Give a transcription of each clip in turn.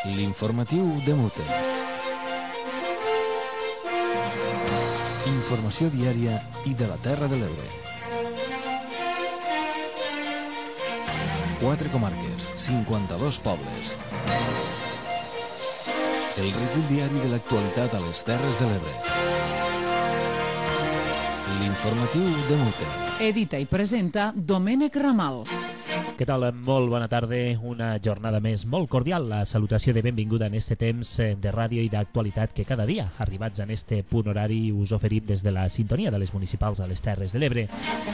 L'informatiu de Mute. Informació diària i de la Terra de l'Ebre. 4 comarques, 52 pobles. El recull diari de l'actualitat a les Terres de l'Ebre. L'informatiu de Mute. Edita i presenta Domènec Ramal. Què tal? Molt bona tarda, una jornada més molt cordial. La salutació de benvinguda en este temps de ràdio i d'actualitat que cada dia, arribats en este punt horari, us oferim des de la sintonia de les municipals a les Terres de l'Ebre.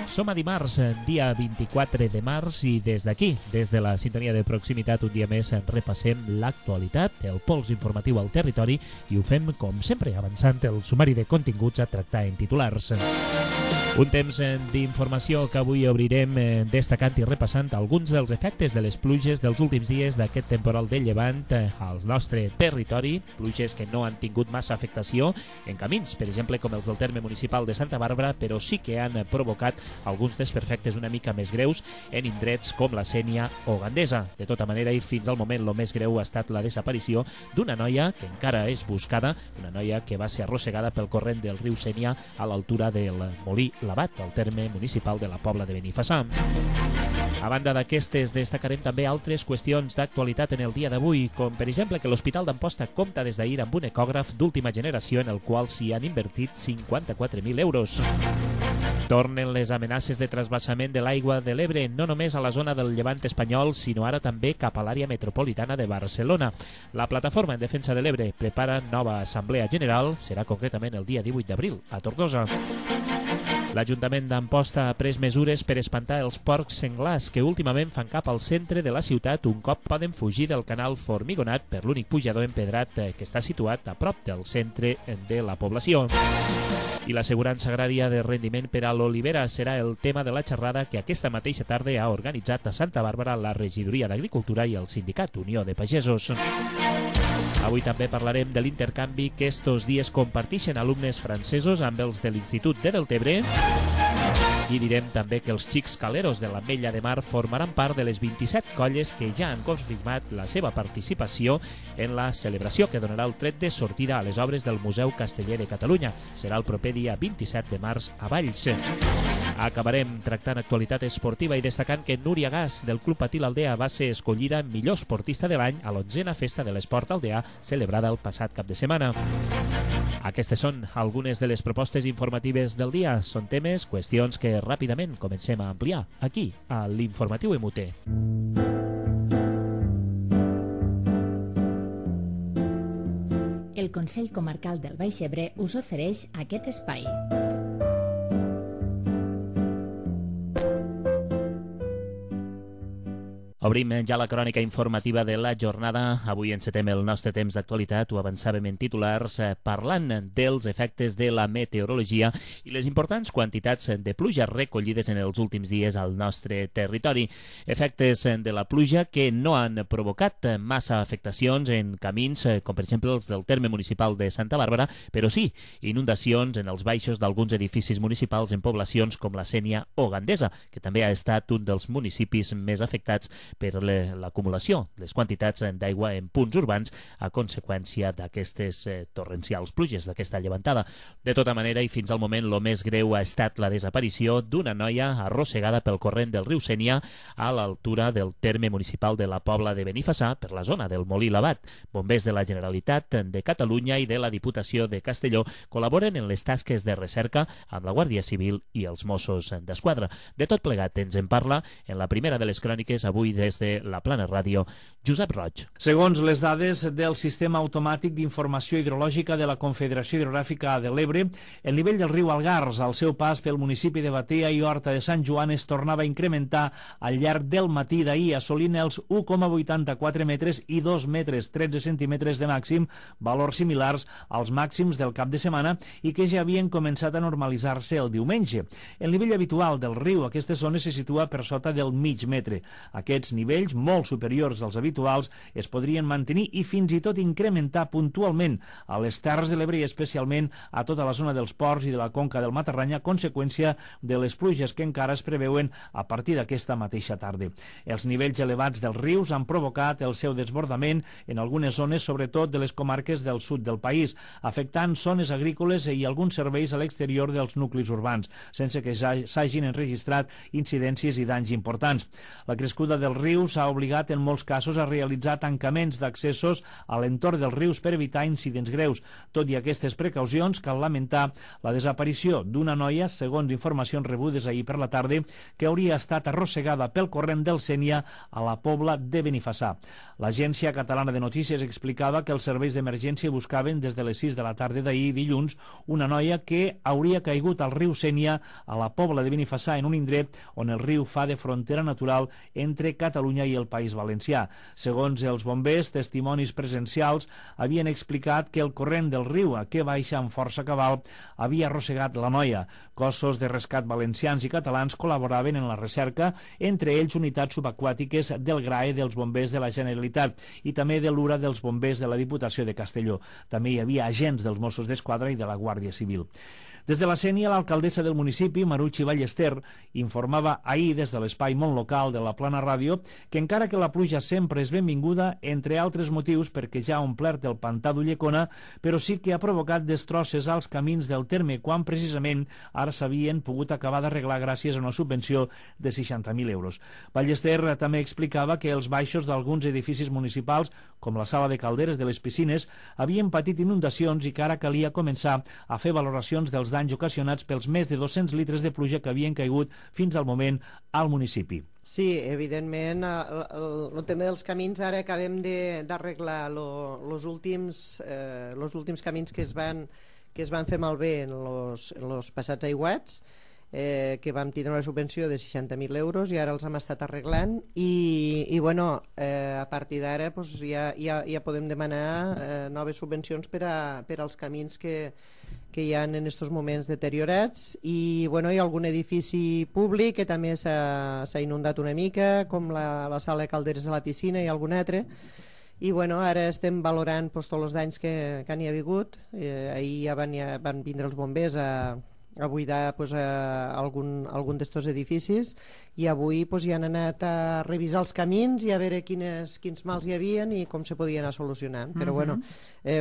Som a dimarts, dia 24 de març, i des d'aquí, des de la sintonia de proximitat, un dia més repassem l'actualitat, el pols informatiu al territori, i ho fem, com sempre, avançant el sumari de continguts a tractar en titulars. Un temps d'informació que avui obrirem destacant i repassant alguns dels efectes de les pluges dels últims dies d'aquest temporal de llevant al nostre territori, pluges que no han tingut massa afectació en camins, per exemple com els del terme municipal de Santa Bàrbara, però sí que han provocat alguns desperfectes una mica més greus en indrets com la Sénia o Gandesa. De tota manera, i fins al moment, el més greu ha estat la desaparició d'una noia que encara és buscada, una noia que va ser arrossegada pel corrent del riu Sénia a l'altura del Molí Labat, al terme municipal de la Pobla de Benifassà. A banda d'aquestes, destacarem també altres qüestions d'actualitat en el dia d'avui, com per exemple que l'Hospital d'Amposta compta des d'ahir amb un ecògraf d'última generació en el qual s'hi han invertit 54.000 euros. Tornen les amenaces de trasbassament de l'aigua de l'Ebre, no només a la zona del Llevant espanyol, sinó ara també cap a l'àrea metropolitana de Barcelona. La Plataforma en Defensa de l'Ebre prepara nova assemblea general, serà concretament el dia 18 d'abril, a Tortosa. L'Ajuntament d'Amposta ha pres mesures per espantar els porcs senglars que últimament fan cap al centre de la ciutat un cop poden fugir del canal Formigonat per l'únic pujador empedrat que està situat a prop del centre de la població. I l'assegurança agrària de rendiment per a l'olivera serà el tema de la xerrada que aquesta mateixa tarda ha organitzat a Santa Bàrbara la Regidoria d'Agricultura i el Sindicat Unió de Pagesos. Avui també parlarem de l'intercanvi que estos dies comparteixen alumnes francesos amb els de l'Institut de Deltebre, i direm també que els xics caleros de l'Ametlla de Mar formaran part de les 27 colles que ja han confirmat la seva participació en la celebració que donarà el tret de sortida a les obres del Museu Casteller de Catalunya. Serà el proper dia 27 de març a Valls. Acabarem tractant actualitat esportiva i destacant que Núria Gas, del Club Patí l'Aldea, va ser escollida millor esportista de l'any a l'11a Festa de l'Esport Aldeà, celebrada el passat cap de setmana. Aquestes són algunes de les propostes informatives del dia. Són temes, qüestions que ràpidament comencem a ampliar aquí, a l'Informatiu MUT. El Consell Comarcal del Baix Ebre us ofereix aquest espai. Obrim ja la crònica informativa de la jornada. Avui encetem el nostre temps d'actualitat, ho avançàvem en titulars, parlant dels efectes de la meteorologia i les importants quantitats de pluja recollides en els últims dies al nostre territori. Efectes de la pluja que no han provocat massa afectacions en camins, com per exemple els del terme municipal de Santa Bàrbara, però sí inundacions en els baixos d'alguns edificis municipals en poblacions com la Sénia o Gandesa, que també ha estat un dels municipis més afectats per l'acumulació de les quantitats d'aigua en punts urbans a conseqüència d'aquestes torrencials pluges, d'aquesta llevantada. De tota manera, i fins al moment, el més greu ha estat la desaparició d'una noia arrossegada pel corrent del riu Sénia a l'altura del terme municipal de la Pobla de Benifassà, per la zona del Molí Labat. Bombers de la Generalitat de Catalunya i de la Diputació de Castelló col·laboren en les tasques de recerca amb la Guàrdia Civil i els Mossos d'Esquadra. De tot plegat ens en parla en la primera de les cròniques avui des de la Plana Ràdio, Josep Roig. Segons les dades del Sistema Automàtic d'Informació Hidrològica de la Confederació Hidrogràfica de l'Ebre, el nivell del riu Algars al seu pas pel municipi de Batea i Horta de Sant Joan es tornava a incrementar al llarg del matí d'ahir, assolint els 1,84 metres i 2 metres 13 centímetres de màxim, valors similars als màxims del cap de setmana i que ja havien començat a normalitzar-se el diumenge. El nivell habitual del riu a aquestes zones se situa per sota del mig metre. Aquests nivells, molt superiors als habituals, habituals es podrien mantenir i fins i tot incrementar puntualment a les Terres de l'Ebre i especialment a tota la zona dels ports i de la conca del Matarranya a conseqüència de les pluges que encara es preveuen a partir d'aquesta mateixa tarda. Els nivells elevats dels rius han provocat el seu desbordament en algunes zones, sobretot de les comarques del sud del país, afectant zones agrícoles i alguns serveis a l'exterior dels nuclis urbans, sense que s'hagin enregistrat incidències i danys importants. La crescuda dels rius ha obligat en molts casos a realitzar tancaments d'accessos a l'entorn dels rius per evitar incidents greus. Tot i aquestes precaucions, cal lamentar la desaparició d'una noia, segons informacions rebudes ahir per la tarda, que hauria estat arrossegada pel corrent del Sénia a la Pobla de Benifassà. L'Agència Catalana de Notícies explicava que els serveis d'emergència buscaven des de les 6 de la tarda d'ahir dilluns una noia que hauria caigut al riu Sénia a la Pobla de Benifassà, en un indret on el riu fa de frontera natural entre Catalunya i el País Valencià. Segons els bombers, testimonis presencials havien explicat que el corrent del riu, que baixa amb força cabal, havia arrossegat la noia. Cossos de rescat valencians i catalans col·laboraven en la recerca, entre ells unitats subaquàtiques del GRAE dels bombers de la Generalitat i també de l'URA dels bombers de la Diputació de Castelló. També hi havia agents dels Mossos d'Esquadra i de la Guàrdia Civil. Des de la Sénia, l'alcaldessa del municipi, Maruchi Ballester, informava ahir des de l'espai Món Local de la Plana Ràdio que encara que la pluja sempre és benvinguda, entre altres motius perquè ja ha omplert el pantà d'Ullecona, però sí que ha provocat destrosses als camins del terme, quan precisament ara s'havien pogut acabar d'arreglar gràcies a una subvenció de 60.000 euros. Ballester també explicava que els baixos d'alguns edificis municipals, com la sala de calderes de les piscines, havien patit inundacions i que ara calia començar a fer valoracions dels danys ocasionats pels més de 200 litres de pluja que havien caigut fins al moment al municipi. Sí, evidentment, el tema dels camins, ara acabem d'arreglar els últims camins que es van fer malbé en els passats aiguats, que vam tindre una subvenció de 60.000 euros i ara els hem estat arreglant i bueno, a partir d'ara pues, ja podem demanar noves subvencions per als camins que hi ha en aquests moments deteriorats i bueno, hi ha algun edifici públic que també s'ha inundat una mica, com la sala de calderes de la piscina i algun altre. I bueno, ara estem valorant pues, tots els danys que n'hi ha hagut. Ahir ja van vindre els bombers a buidar pues, algun d'estos edificis i avui pues, ja han anat a revisar els camins i a veure quins mals hi havien i com se podien anar solucionant. Però bueno,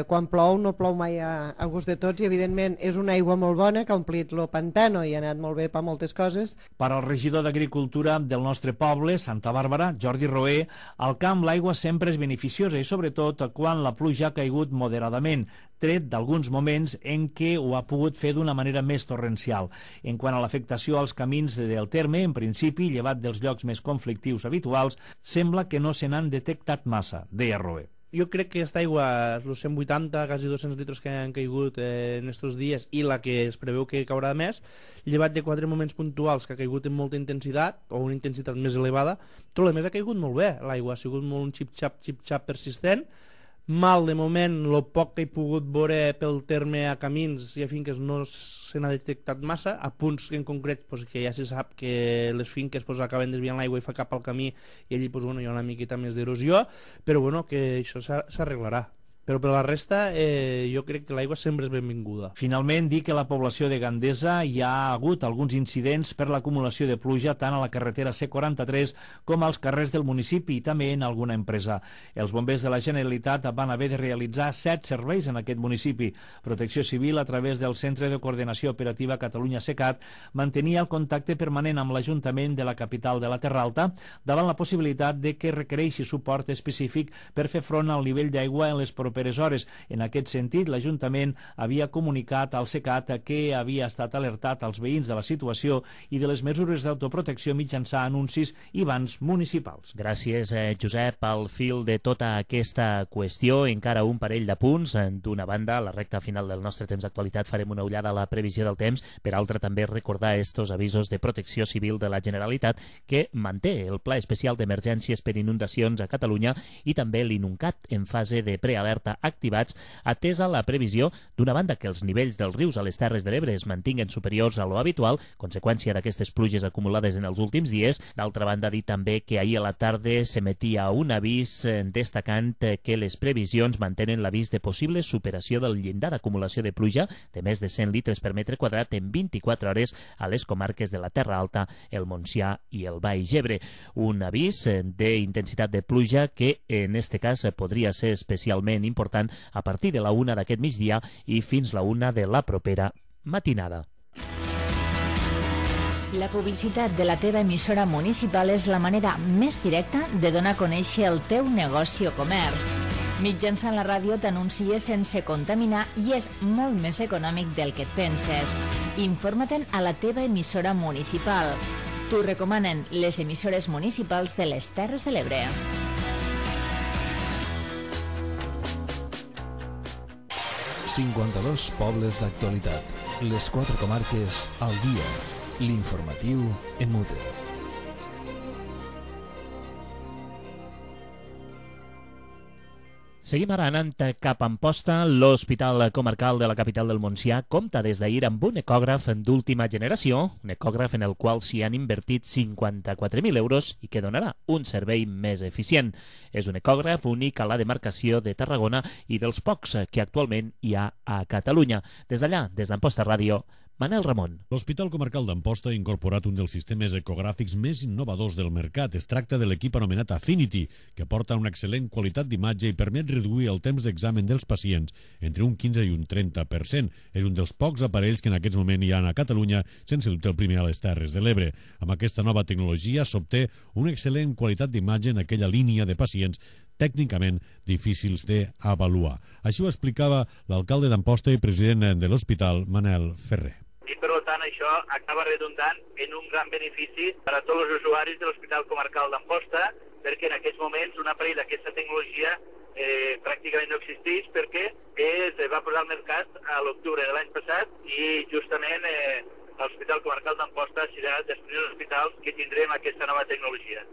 quan plou no plou mai a gust de tots i evidentment és una aigua molt bona que ha omplit el pantano i ha anat molt bé per moltes coses. Per al regidor d'Agricultura del nostre poble, Santa Bàrbara, Jordi Roé, al camp l'aigua sempre és beneficiosa i sobretot quan la pluja ha caigut moderadament, tret d'alguns moments en què ho ha pogut fer d'una manera més torrencial. En quant a l'afectació als camins del terme, en principi, llevat dels llocs més conflictius habituals, sembla que no se n'han detectat massa, deia Roé. Jo crec que aquesta aigua, els 180, quasi 200 litres que han caigut en aquests dies i la que es preveu que caurà més, llevat de 4 moments puntuals que ha caigut amb molta intensitat o una intensitat més elevada, tot el més ha caigut molt bé. L'aigua ha sigut molt un xip-xap persistent. Mal, de moment, el poc que he pogut veure pel terme a camins i a finques no se n'ha detectat massa, a punts en concret pues, que ja se sap que les finques pues, acaben desviant l'aigua i fa cap al camí i allí pues, bueno, hi ha una miqueta més d'erosió, però bueno, que això s'arreglarà. Però per la resta jo crec que l'aigua sempre és benvinguda. Finalment, dir que a la població de Gandesa hi ha hagut alguns incidents per l'acumulació de pluja tant a la carretera C43 com als carrers del municipi i també en alguna empresa. Els bombers de la Generalitat van haver de realitzar 7 serveis en aquest municipi. Protecció Civil, a través del Centre de Coordinació Operativa Catalunya-SECAT, mantenia el contacte permanent amb l'Ajuntament de la capital de la Terra Alta davant la possibilitat de que requereixi suport específic per fer front al nivell d'aigua en les properes hores. En aquest sentit, l'Ajuntament havia comunicat al SECAT que havia estat alertat als veïns de la situació i de les mesures d'autoprotecció mitjançant anuncis i bans municipals. Gràcies, Josep. Al fil de tota aquesta qüestió, encara un parell de punts. D'una banda, a la recta final del nostre temps d'actualitat farem una ullada a la previsió del temps, per altra també recordar estos avisos de protecció civil de la Generalitat que manté el Pla Especial d'Emergències per Inundacions a Catalunya i també l'INUNCAT en fase de prealerta alerta activats, atesa la previsió d'una banda que els nivells dels rius a les Terres de l'Ebre es mantinguen superiors a lo habitual, conseqüència d'aquestes pluges acumulades en els últims dies. D'altra banda, dir també que ahir a la tarda s'emetia un avís destacant que les previsions mantenen l'avís de possible superació del llindar d'acumulació de pluja de més de 100 litres per metre quadrat en 24 hores a les comarques de la Terra Alta, el Montsià i el Baix Ebre. Un avís d'intensitat de pluja que en este cas podria ser especialment important a partir de la 1 d'aquest migdia i fins la 1 de la propera matinada. La publicitat de la teva emissora municipal és la manera més directa de donar a conèixer el teu negoci o comerç. Mitjançant la ràdio t'anuncies sense contaminar i és molt més econòmic del que et penses. Informa-te'n a la teva emissora municipal. T'ho recomanen les emissores municipals de les Terres de l'Ebre. 52 pobles d'actualitat. Les 4 comarques al dia. L'informatiu EMUTE. Seguim ara anant cap a Amposta. L'Hospital Comarcal de la capital del Montsià compta des d'ahir amb un ecògraf d'última generació, un ecògraf en el qual s'hi han invertit 54.000 euros i que donarà un servei més eficient. És un ecògraf únic a la demarcació de Tarragona i dels pocs que actualment hi ha a Catalunya. Des d'allà, des d'Amposta Ràdio, Manel Ramon. L'Hospital Comarcal d'Amposta ha incorporat un dels sistemes ecogràfics més innovadors del mercat. Es tracta de l'equip anomenat Affinity, que porta una excel·lent qualitat d'imatge i permet reduir el temps d'examen dels pacients entre un 15 i un 30%. És un dels pocs aparells que en aquests moments hi ha a Catalunya, sense dubte el primer a les Terres de l'Ebre. Amb aquesta nova tecnologia s'obté una excel·lent qualitat d'imatge en aquella línia de pacients tècnicament difícils d'avaluar. Així ho explicava l'alcalde d'Amposta i president de l'hospital, Manel Ferrer. I per tant això acaba redundant en un gran benefici per a tots els usuaris de l'Hospital Comarcal d'Amposta, perquè en aquests moments un aparell d'aquesta tecnologia pràcticament no existeix, perquè es va posar al mercat a l'octubre de l'any passat i justament l'Hospital Comarcal d'Amposta serà dels primers hospitals que tindrem aquesta nova tecnologia.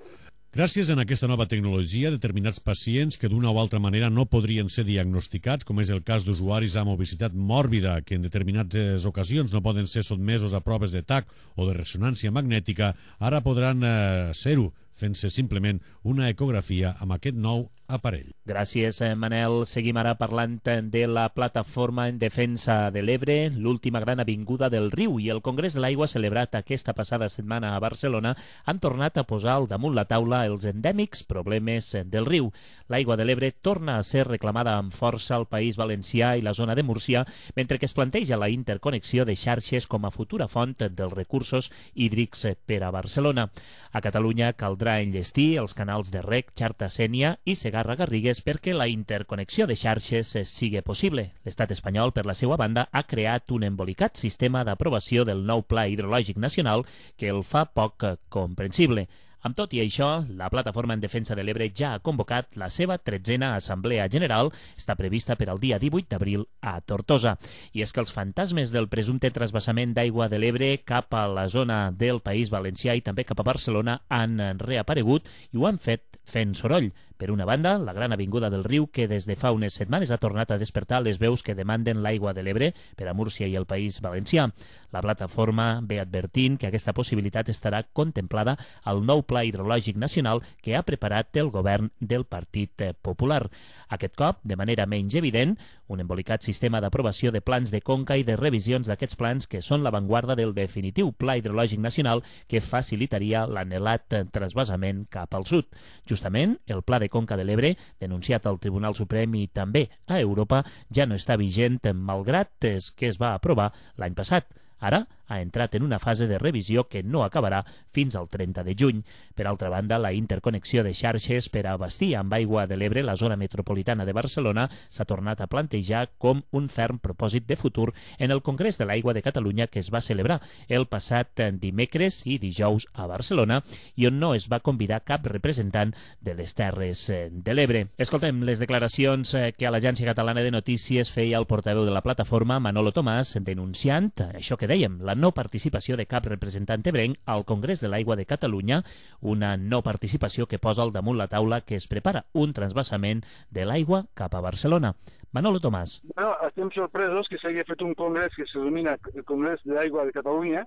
Gràcies a aquesta nova tecnologia, determinats pacients que d'una o altra manera no podrien ser diagnosticats, com és el cas d'usuaris amb obesitat mòrbida, que en determinades ocasions no poden ser sotmesos a proves de TAC o de ressonància magnètica, ara podran ser-ho, fent-se simplement una ecografia amb aquest nou aparell. Gràcies, Manel. Seguim ara parlant de la plataforma en defensa de l'Ebre, l'última gran avinguda del riu, i el Congrés de l'Aigua celebrat aquesta passada setmana a Barcelona han tornat a posar al damunt la taula els endèmics problemes del riu. L'aigua de l'Ebre torna a ser reclamada amb força al País Valencià i la zona de Múrcia, mentre que es planteja la interconnexió de xarxes com a futura font dels recursos hídrics per a Barcelona. A Catalunya caldrà enllestir els canals de Rec, Xarta-Sénia i Segarra-Garrigues perquè la interconnexió de xarxes sigui possible. L'estat espanyol, per la seva banda, ha creat un embolicat sistema d'aprovació del nou Pla Hidrològic Nacional que el fa poc comprensible. Amb tot i això, la Plataforma en Defensa de l'Ebre ja ha convocat la seva 13a Assemblea General, està prevista per al dia 18 d'abril a Tortosa. I és que els fantasmes del presumpte transvasament d'aigua de l'Ebre cap a la zona del País Valencià i també cap a Barcelona han reaparegut i ho han fet fent soroll. Per una banda, la gran avinguda del riu, que des de fa unes setmanes ha tornat a despertar les veus que demanden l'aigua de l'Ebre per a Múrcia i el País Valencià. La plataforma ve advertint que aquesta possibilitat estarà contemplada al nou Pla Hidrològic Nacional que ha preparat el govern del Partit Popular. Aquest cop, de manera menys evident, un embolicat sistema d'aprovació de plans de conca i de revisions d'aquests plans que són l'avantguarda del definitiu Pla Hidrològic Nacional que facilitaria l'anhelat transvasament cap al sud. Justament, el Pla de Conca de l'Ebre, denunciat al Tribunal Suprem i també a Europa, ja no està vigent malgrat que es va aprovar l'any passat. Ara ha entrat en una fase de revisió que no acabarà fins al 30 de juny. Per altra banda, la interconnexió de xarxes per a abastir amb aigua de l'Ebre la zona metropolitana de Barcelona s'ha tornat a plantejar com un ferm propòsit de futur en el Congrés de l'Aigua de Catalunya que es va celebrar el passat dimecres i dijous a Barcelona i on no es va convidar cap representant de les Terres de l'Ebre. Escoltem les declaracions que a l'Agència Catalana de Notícies feia el portaveu de la plataforma, Manolo Tomàs, denunciant això que dèiem, la no participació de cap representant ebrenc al Congrés de l'Aigua de Catalunya, una no participació que posa al damunt la taula que es prepara un transvasament de l'aigua cap a Barcelona. Manolo Tomàs. Bueno, estem sorpresos que s'hagi fet un congrés que se denomina el Congrés de l'Aigua de Catalunya,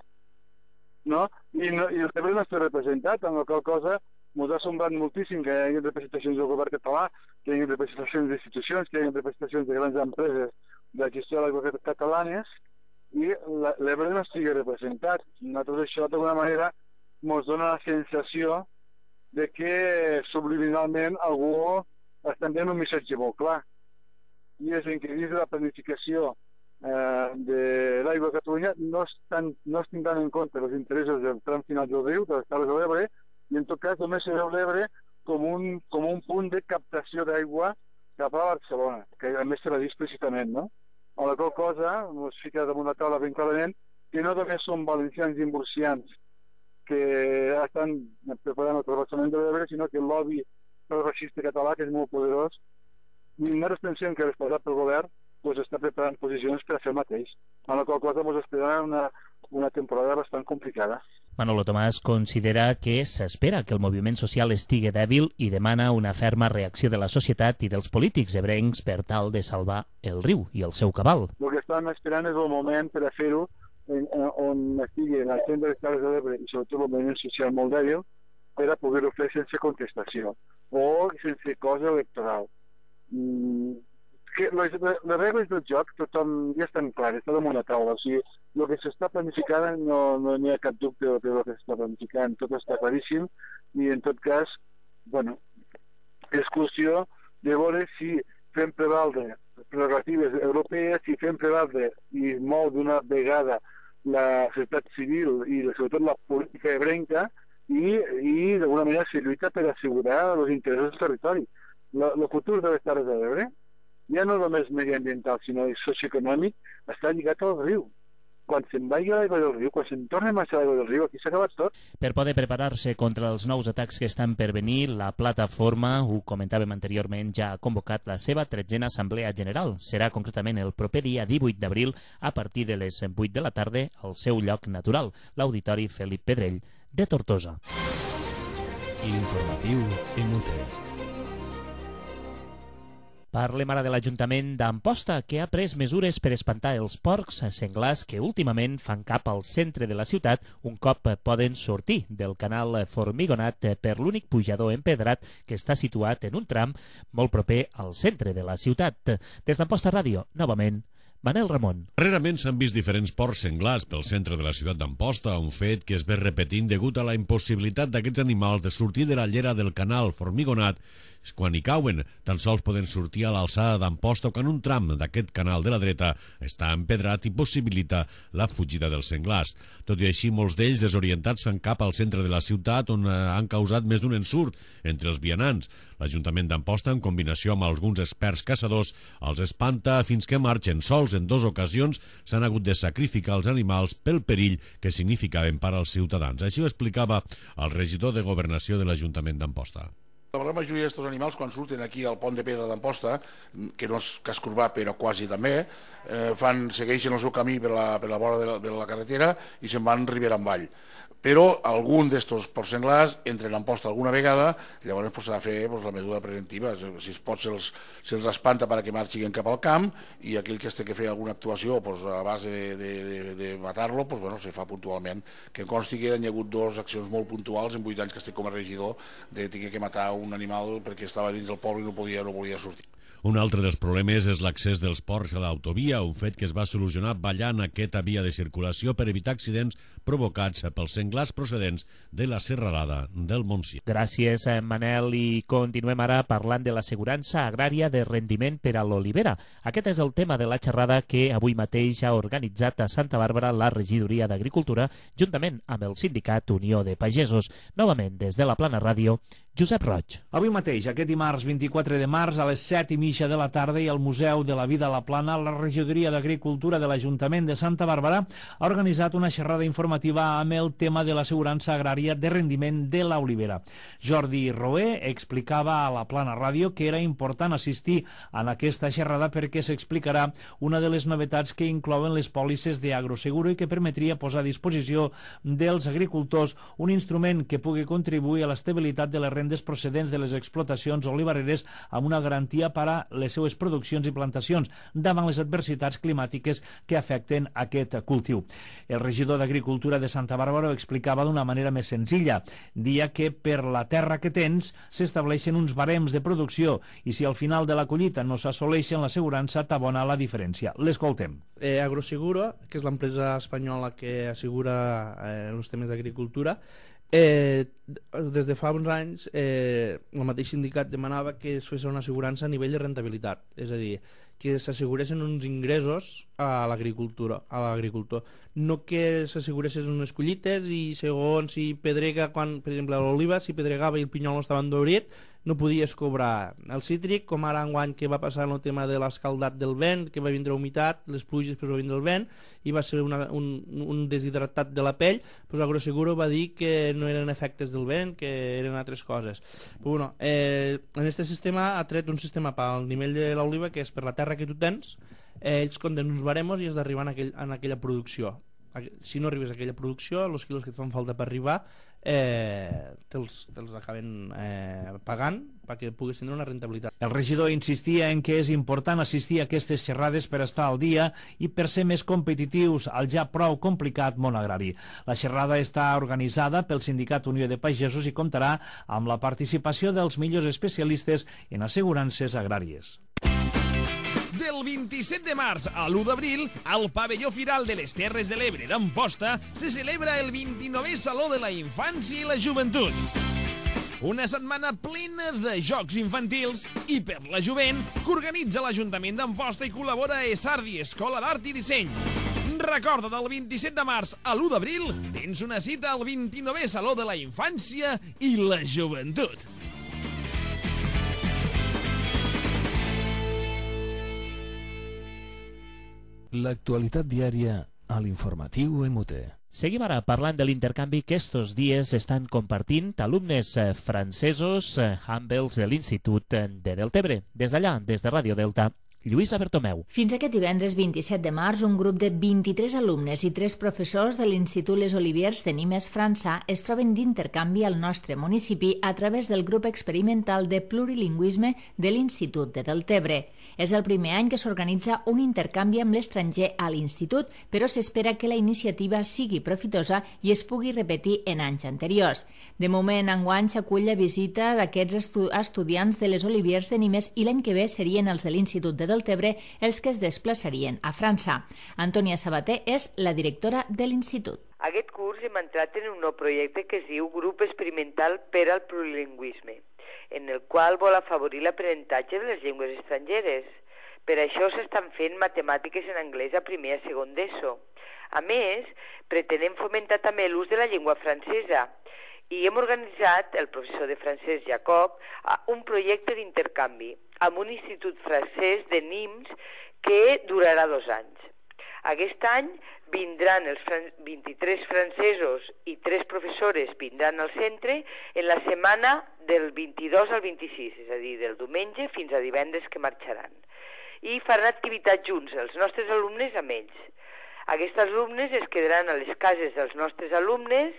no? I el Ebre no està representat, amb la qual cosa ens ha semblat moltíssim que hi hagi representacions del govern català, que hi hagi representacions d'institucions, que hi hagi representacions de grans empreses de la gestió de l'aigua catalanes, i l'Ebre no estigui representat. Nosaltres això, d'alguna manera, ens dona la sensació de que subliminalment algú està enviant un missatge molt clar. I és en què dins de la planificació de l'aigua a Catalunya no es tindran en compte els interessos del tram final del riu, de les Terres de l'Ebre, i en tot cas només se veu l'Ebre com un punt de captació d'aigua cap a Barcelona, que a més se va dir explícitament, no? A la qual cosa ens fica damunt la taula ben clarament que no només són valencians i murcians que estan preparant el transvasament de l'Ebre, sinó que el lobby progressista català, que és molt poderós, i nosaltres pensem que responsat pel govern està preparant posicions per a fer el mateix, a la qual cosa ens espera una temporada bastant complicada. Manolo Tomàs considera que s'espera que el moviment social estigui dèbil i demana una ferma reacció de la societat i dels polítics ebrencs per tal de salvar el riu i el seu cabal. El que estan esperant és el moment per a fer-ho on estigui en el centre de les Terres de l'Ebre i sobretot el moviment social molt dèbil per a poder-ho fer sense contestació o sense cosa electoral. Les regles del joc tothom ja estan clares, està damunt la taula. O sigui, el que s'està planificant no n'hi ha cap dubte del que s'està planificant, tot està claríssim i en tot cas, bueno, és qüestió de veure si fem prevaldre prerrogatives europees, si fem prevaldre i molt d'una vegada la societat civil i sobretot la política ebrenca i d'alguna manera se lluita per assegurar els interessos del territori. El futur de les Terres de l'Ebre ja no només mediambiental, sinó socioeconòmic, està lligat al riu. Quan se'n vagi l'aigua del riu, quan se'n torni a marxar l'aigua del riu, aquí s'ha acabat tot. Per poder preparar-se contra els nous atacs que estan per venir, la plataforma, ho comentàvem anteriorment, ja ha convocat la seva 13a Assemblea General. Serà concretament el proper dia 18 d'abril a partir de les 8 de la tarda al seu lloc natural, l'Auditori Felip Pedrell de Tortosa. L'informatiu en UTE. Parlem ara de l'Ajuntament d'Amposta, que ha pres mesures per espantar els porcs senglars que últimament fan cap al centre de la ciutat un cop poden sortir del canal Formigonat per l'únic pujador empedrat que està situat en un tram molt proper al centre de la ciutat. Des d'Amposta Ràdio, novament, Manel Ramon. Darrerament s'han vist diferents porcs senglars pel centre de la ciutat d'Amposta, un fet que es ve repetint degut a la impossibilitat d'aquests animals de sortir de la llera del canal Formigonat quan hi cauen. Tan sols poden sortir a l'alçada d'Amposta quan un tram d'aquest canal de la dreta està empedrat i possibilita la fugida dels senglars. Tot i així, molts d'ells desorientats fan cap al centre de la ciutat on han causat més d'un ensurt entre els vianants. L'Ajuntament d'Amposta, en combinació amb alguns experts caçadors, els espanta fins que marxen sols. En 2 ocasions s'han hagut de sacrificar els animals pel perill que significaven per als ciutadans. Així ho explicava el regidor de Governació de l'Ajuntament d'Amposta. La gran majoria d'aquests animals, quan surten aquí al pont de pedra d'Amposta, que no és casc urbà però quasi també, segueixen el seu camí per la vora de la carretera i se'n van ribera avall. Però algun d'estos porcs senglars entren a Amposta alguna vegada, llavors s'ha de fer la mesura preventiva. Si es pot, se'ls espanta perquè marxin cap al camp i aquell que es té que fer alguna actuació a base de matar-lo, se fa puntualment. Que em consti que hi ha hagut 2 accions molt puntuals en 8 anys que estic com a regidor de tenir que matar un animal perquè estava dins del poble i no podia sortir. Un altre dels problemes és l'accés dels porcs a l'autovia, un fet que es va solucionar ballant aquesta via de circulació per evitar accidents provocats pels senglars procedents de la serralada del Montsià. Gràcies, Manel, i continuem ara parlant de l'assegurança agrària de rendiment per a l'olivera. Aquest és el tema de la xerrada que avui mateix ha organitzat a Santa Bàrbara la Regidoria d'Agricultura juntament amb el sindicat Unió de Pagesos. Novament, des de la Plana Ràdio, Josep Roig. Avui mateix, aquest dimarts 24 de març, a les 7:30 i mitja de la tarda i al Museu de la Vida a la Plana, la Regidoria d'Agricultura de l'Ajuntament de Santa Bàrbara ha organitzat una xerrada informativa amb el tema de l'assegurança agrària de rendiment de l'olivera. Jordi Roé explicava a la Plana Ràdio que era important assistir en aquesta xerrada perquè s'explicarà una de les novetats que inclouen les pòlisses d'Agroseguro i que permetria posar a disposició dels agricultors un instrument que pugui contribuir a l'estabilitat de les rendes procedents de les explotacions olivareres amb una garantia per a les seues produccions i plantacions davant les adversitats climàtiques que afecten aquest cultiu. El regidor d'Agricultura de Santa Bàrbara ho explicava d'una manera més senzilla. Dia que per la terra que tens s'estableixen uns barems de producció i si al final de la collita no s'assoleixen, l'assegurança t'abona la diferència. L'escoltem. Agroseguro, que és l'empresa espanyola que assegura els temes d'agricultura, des de fa uns anys el mateix sindicat demanava que es fes una assegurança a nivell de rentabilitat, és a dir, que s'asseguressin uns ingressos a l'agricultor, no que s'asseguressin unes collites i segons si pedrega, quan, per exemple, l'oliva, si pedregava i el pinyol no estava endurit, no podies cobrar el cítric, com ara enguany que va passar en el tema de l'escaldat del vent, que va vindre humitat, les pluges, després va vindre el vent, i va ser un deshidratat de la pell, doncs Agroseguro va dir que no eren efectes del vent, que eren altres coses. Però, bueno, en aquest sistema ha tret un sistema pel nivell de l'oliva, que és per la terra que tu tens, ells compten uns baremos i has d'arribar en aquella producció. Si no arribes a aquella producció, els quilos que et fan falta per arribar te'ls acaben pagant perquè puguis tenir una rentabilitat. El regidor insistia en que és important assistir a aquestes xerrades per estar al dia i per ser més competitius al ja prou complicat món agrari. La xerrada està organitzada pel Sindicat Unió de Pagesos i comptarà amb la participació dels millors especialistes en assegurances agràries. Del 27 de març a l'1 d'abril, al pavelló Firal de les Terres de l'Ebre d'Amposta se celebra el 29è Saló de la Infància i la Joventut. Una setmana plena de jocs infantils i per la jovent que organitza l'Ajuntament d'Amposta i col·labora a Esardi, Escola d'Art i Disseny. Recorda, del 27 de març a l'1 d'abril tens una cita al 29è Saló de la Infància i la Joventut. L'actualitat diària a l'informatiu EMUTE. Seguim ara parlant de l'intercanvi que estos dies estan compartint alumnes francesos amb els de l'Institut de Deltebre. Des d'allà, des de Ràdio Delta, Lluïsa Bertomeu. Fins aquest divendres 27 de març, un grup de 23 alumnes i 3 professors de l'Institut Les Oliviers de Nimes, França, es troben d'intercanvi al nostre municipi a través del grup experimental de plurilingüisme de l'Institut de Deltebre. És el primer any que s'organitza un intercanvi amb l'estranger a l'Institut, però s'espera que la iniciativa sigui profitosa i es pugui repetir en anys anteriors. De moment, enguany s'acull la visita d'aquests estudiants de les Oliviers de Nimes i l'any que ve serien els de l'Institut de Deltebre els que es desplaçarien a França. Antònia Sabater és la directora de l'Institut. Aquest curs hem entrat en un nou projecte que es diu Grup Experimental per al Plurilingüisme, en el qual vol afavorir l'aprenentatge de les llengües estrangeres. Per això s'estan fent matemàtiques en anglès a primer i a segon d'ESO. A més, pretenem fomentar també l'ús de la llengua francesa i hem organitzat, el professor de francès Jacob, un projecte d'intercanvi amb un institut francès de Nimes que durarà 2 anys. Aquest any vindran els 23 francesos i 3 professores vindran al centre en la setmana del 22 al 26, és a dir, del diumenge fins a divendres que marxaran. I faran activitats junts, els nostres alumnes amb ells. Aquests alumnes es quedaran a les cases dels nostres alumnes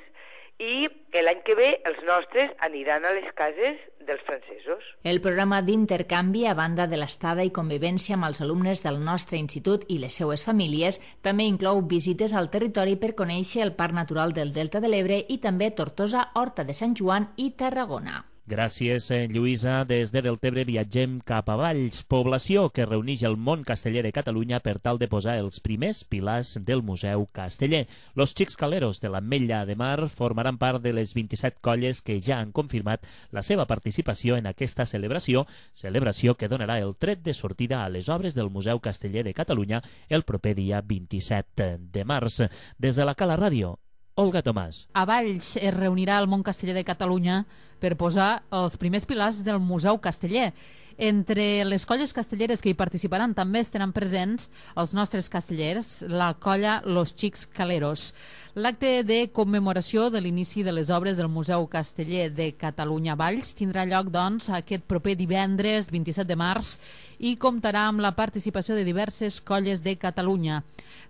i l'any que ve els nostres aniran a les cases dels francesos. El programa d'intercanvi, a banda de l'estada i convivència amb els alumnes del nostre institut i les seues famílies, també inclou visites al territori per conèixer el Parc Natural del Delta de l'Ebre i també Tortosa, Horta de Sant Joan i Tarragona. Gràcies, Lluïsa. Des de Deltebre viatgem cap a Valls, població que reuneix el món casteller de Catalunya per tal de posar els primers pilars del Museu Casteller. Los Xics Caleros de l'Ametlla de Mar formaran part de les 27 colles que ja han confirmat la seva participació en aquesta celebració que donarà el tret de sortida a les obres del Museu Casteller de Catalunya el proper dia 27 de març. Des de la Cala Ràdio, Olga Tomàs. A Valls es reunirà el món casteller de Catalunya per posar els primers pilars del Museu Casteller Entre les colles castelleres que hi participaran també estaran presents els nostres castellers, la colla Los Xics Caleros. L'acte de commemoració de l'inici de les obres del Museu Casteller de Catalunya Valls tindrà lloc, doncs, aquest proper divendres 27 de març i comptarà amb la participació de diverses colles de Catalunya.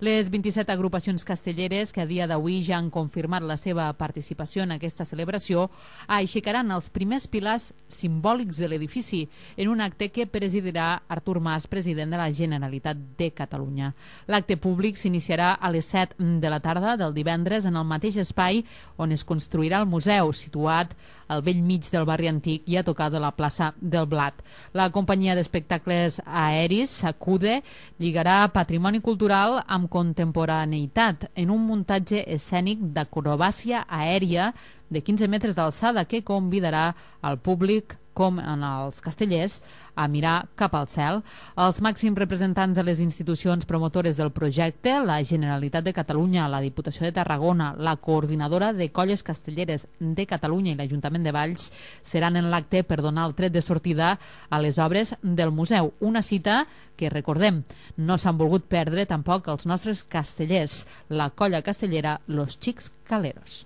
Les 27 agrupacions castelleres que a dia d'avui ja han confirmat la seva participació en aquesta celebració aixecaran els primers pilars simbòlics de l'edifici en un acte que presidirà Artur Mas, president de la Generalitat de Catalunya. L'acte públic s'iniciarà a les 7 de la tarda del divendres en el mateix espai on es construirà el museu, situat al vell mig del barri antic i a tocar de la plaça del Blat. La companyia d'espectacles aeris, Sacude, lligarà patrimoni cultural amb contemporaneïtat en un muntatge escènic d'acrobàcia aèria de 15 metres d'alçada que convidarà al públic, com en els castellers, a mirar cap al cel. Els màxims representants de les institucions promotores del projecte, la Generalitat de Catalunya, la Diputació de Tarragona, la Coordinadora de Colles Castelleres de Catalunya i l'Ajuntament de Valls, seran en l'acte per donar el tret de sortida a les obres del museu. Una cita que, recordem, no s'han volgut perdre tampoc els nostres castellers, la colla castellera Los Xics Caleros.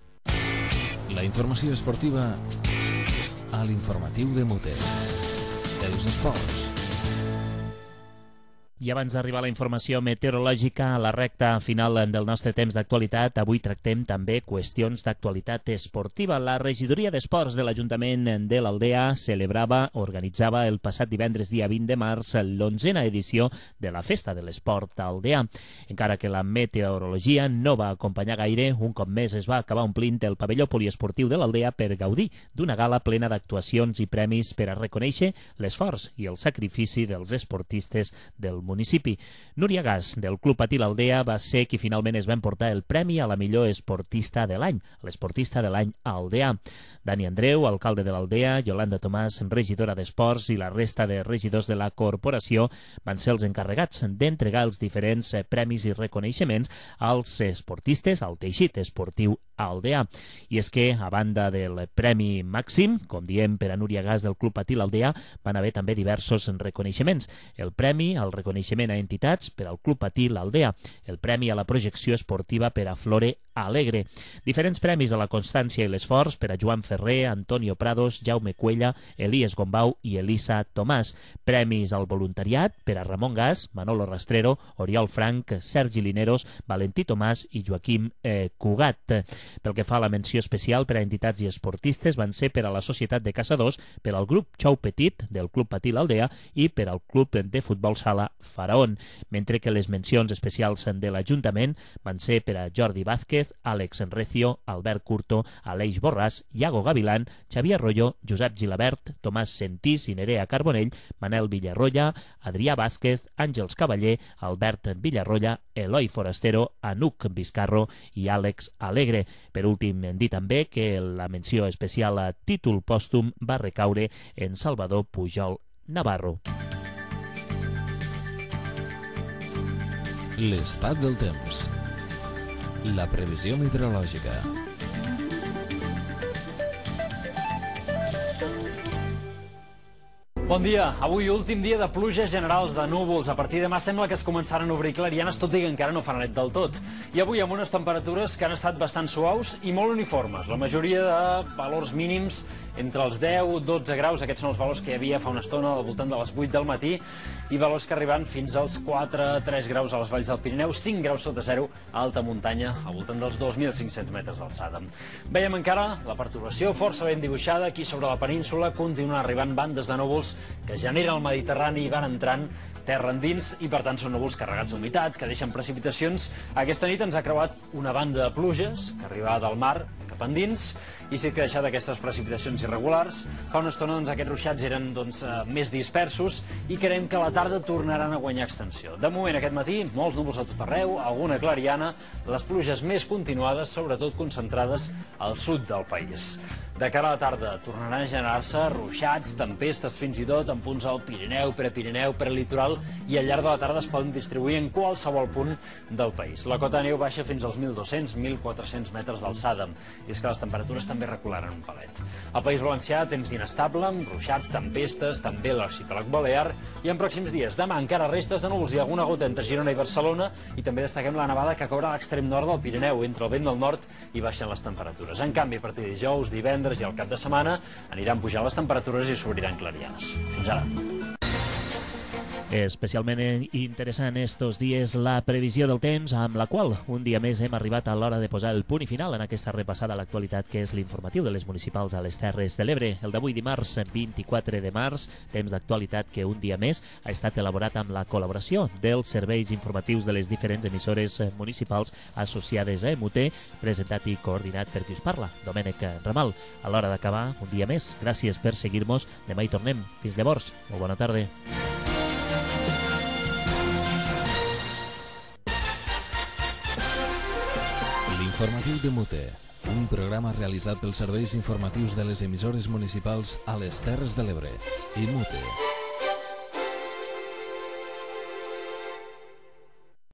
La informació esportiva a l'informatiu de Muter. Els esports. I abans d'arribar a la informació meteorològica, a la recta final del nostre temps d'actualitat, avui tractem també qüestions d'actualitat esportiva. La regidoria d'esports de l'Ajuntament de l'Aldea organitzava el passat divendres dia 20 de març l'11a edició de la Festa de l'Esport Aldeà. Encara que la meteorologia no va acompanyar gaire, un cop més es va acabar omplint el pavelló poliesportiu de l'Aldea per gaudir d'una gala plena d'actuacions i premis per a reconèixer l'esforç i el sacrifici dels esportistes del municipi. Núria Gas, del Club Patí l'Aldea, va ser qui finalment es va emportar el premi a la millor esportista de l'any, l'esportista de l'any Aldea. Dani Andreu, alcalde de l'Aldea, Yolanda Tomàs, regidora d'Esports, i la resta de regidors de la corporació van ser els encarregats d'entregar els diferents premis i reconeixements als esportistes, al teixit esportiu Aldea. I és que, a banda del Premi Màxim, com diem per a Núria Gas del Club Patí l'Aldea, van haver també diversos reconeixements. El premi al reconeixement a entitats per al Club Patí l'Aldea, el premi a la projecció esportiva per a Flore Alegre, diferents premis a la constància i l'esforç per a Joan Ferrer, Antonio Prados, Jaume Cuella, Elies Gombau i Elisa Tomàs, premis al voluntariat per a Ramon Gas, Manolo Rastrero, Oriol Frank, Sergi Lineros, Valentí Tomàs i Joaquim Cugat. Pel que fa a la menció especial per a entitats i esportistes, van ser per a la Societat de Caçadors, per al grup Xou Petit del Club Patí l'Aldea i per al Club de Futbol Sala Faraón, mentre que les mencions especials de l'Ajuntament van ser per a Jordi Vázquez, Àlex Recio, Albert Curto, Aleix Borràs, Iago Gavilán, Xavier Royo, Josep Gilabert, Tomàs Sentís i Nerea Carbonell, Manel Villarroya, Adrià Vázquez, Àngels Cavaller, Albert Villarroya, Eloi Forastero, Anuc Vizcarro i Àlex Alegre. Per últim, dir també que la menció especial a títol pòstum va recaure en Salvador Pujol Navarro. L'estat del temps. La previsió meteorològica. Bon dia. Avui últim dia de pluges generals, de núvols. A partir de demà sembla que es començaran a obrir clarianes, tot i que encara no fa net del tot. I avui amb unes temperatures que han estat bastant suaus i molt uniformes. La majoria de valors mínims entre els 10-12 graus. Aquests són els valors que hi havia fa una estona al voltant de les 8 del matí i valors que arriben fins als 4-3 graus a les valls del Pirineu, 5 graus sota zero a alta muntanya, al voltant dels 2.500 metres d'alçada. Veiem encara la perturbació força ben dibuixada aquí sobre la península. Continuen arribant bandes de núvols que generen el Mediterrani i van entrant terra endins i per tant són núvols carregats d'humitat que deixen precipitacions. Aquesta nit ens ha creuat una banda de pluges que arriba del mar cap endins i sí que ha deixat aquestes precipitacions irregulars. Fa una estona aquests ruixats eren més dispersos i creiem que a la tarda tornaran a guanyar extensió. De moment aquest matí molts núvols a tot arreu, alguna clariana, les pluges més continuades, sobretot concentrades al sud del país. De cara a la tarda tornaran a generar-se ruixats, tempestes, fins i tot en punts al Pirineu, prelitoral, i al llarg de la tarda es poden distribuir en qualsevol punt del país. La cota de neu baixa fins als 1.200-1.400 metres d'alçada, i és que les temperatures també recularan un palet. Al País Valencià, temps inestable, amb ruixats, tempestes, també l'arxipèlag balear, i en pròxims dies, demà encara restes de núvols i alguna gota entre Girona i Barcelona, i també destaquem la nevada que caurà a l'extrem nord del Pirineu, entre el vent del nord i baixen les temperatures. En canvi, a partir de dijous, divendres i al cap de setmana aniran pujant les temperatures i s'obriran clarianes. Fins ara. Especialment interessant estos dies la previsió del temps, amb la qual un dia més hem arribat a l'hora de posar el punt i final en aquesta repassada a l'actualitat que és l'informatiu de les municipals a les Terres de l'Ebre. El d'avui dimarts 24 de març, temps d'actualitat que un dia més ha estat elaborat amb la col·laboració dels serveis informatius de les diferents emissores municipals associades a MUT, presentat i coordinat per qui us parla, Domènec Ramal. A l'hora d'acabar, un dia més, gràcies per seguir-nos. Demà hi tornem. Fins llavors, molt bona tarda. L'informatiu de MUT, un programa realitzat pels serveis informatius de les emissores municipals a les Terres de l'Ebre i MUT.